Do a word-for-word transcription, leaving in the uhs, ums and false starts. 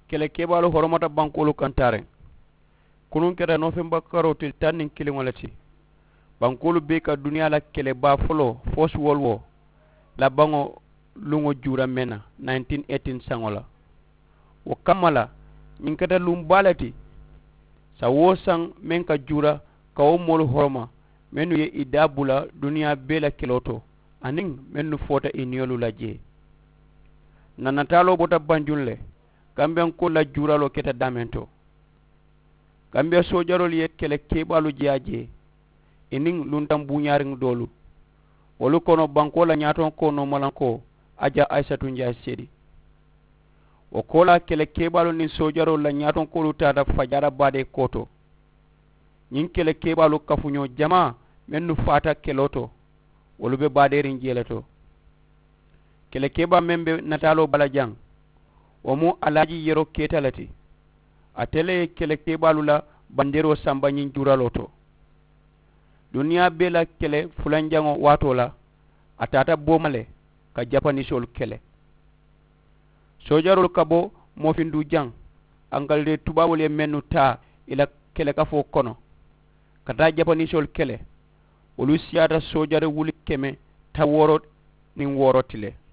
Kele keebaalu horomata bankoolu kaŋ taariŋ. Kunuŋ keta noofembakaroo tili taŋ niŋ kiliŋo le ti. Bankoolu bee ka duniyaa la kele baa foloo foosi wolu wo la baŋo luŋo juura meŋ na nineteen eighteen saŋo la. Wo kamma la ñiŋ keta luŋ baa le ti. Saŋ woo saŋ meŋ ka juura ka wo moolu horoma mennu ye i daa bula duniyaa bee la keloo to aniŋ mennu foota i niyolu la jee. N na nataaloo bota banjuŋ le gambiyankoolu la juuraloo keta daameŋ to. Gambiya soojaroolu ye kele keebaalu je a je i niŋ luntaŋ buuñaariŋ doolu wolu kono bankoo la ñaatonkoo noomalankoo a ja ayisatu njaay seedi. Wo koolaa kele keebaalu niŋ soojaroolu la ñaatonkoolu taata fajaara baadee kooto. Ñiŋ kele keebaalu kafuñoo jamaa mennu faata keloo to wolu be baadeeriŋ jee le to. Kele keebaa meŋ be nataaloo bala jaŋ wo mu alaaji yeroo keeta le ti. Ate le ye kele keebaalu la bandeeroo samba ñiŋ juuraloo to. Duniyaa bee la kele fulanjaŋo waatoo la a taata booma le ka japanisoolu kele. Soojaroolu ka bo moofinduu jaŋ angaliteeri tubaaboolu ye mennu taa i la kelekafoo kono ka taa japanisoolu kele wolu siyaata soojari wuli keme tawooro niŋ wooro ti le.